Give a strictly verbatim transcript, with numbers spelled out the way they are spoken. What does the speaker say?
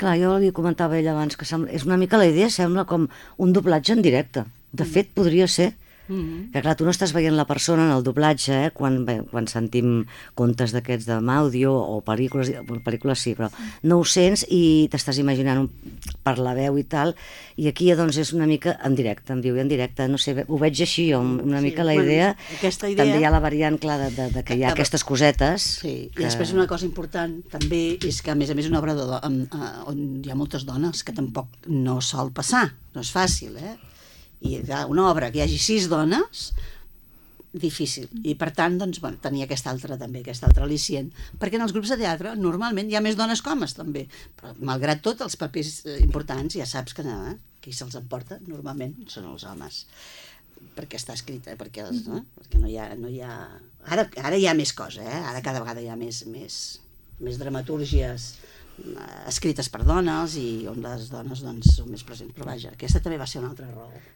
Clar, jo li comentava a ell abans que sembla, és una mica la idea, sembla com un doblatge en directe. De Mm. fet, podria ser. Mm. Que clar, tu no estàs veient la persona en el doblatge, eh? quan, bé, quan sentim contes d'aquests d'àudio o pel·lícules, bueno, pel·lícules sí, però no ho sents i t'estàs imaginant un, per la veu i tal, i aquí doncs és una mica en directe, em diu, en directe, no sé, ho veig així, jo, una Sí, mica la bueno, idea, aquesta idea- també hi ha la variant clara de, de que hi ha Que- aquestes cosetes. Sí, que... i després una cosa important també és que a més a més una obra de, do- amb, eh, on hi ha moltes dones, que tampoc no sol passar, no és fàcil, eh? I clar, una obra que hi hagi sis dones, difícil, i per tant doncs, bueno, tenia aquesta altra també, aquesta altra al·licient, perquè en els grups de teatre normalment hi ha més dones que homes també, però malgrat tot els papers eh, importants ja saps que eh, qui se'ls emporta normalment són els homes, perquè està escrita, perquè, els, no? perquè no hi ha, no hi ha... Ara, ara hi ha més cosa, eh? Ara cada vegada hi ha més, més, més dramatúrgies escrites per dones i on les dones doncs, són més presents, però vaja, aquesta també va ser una altra raó.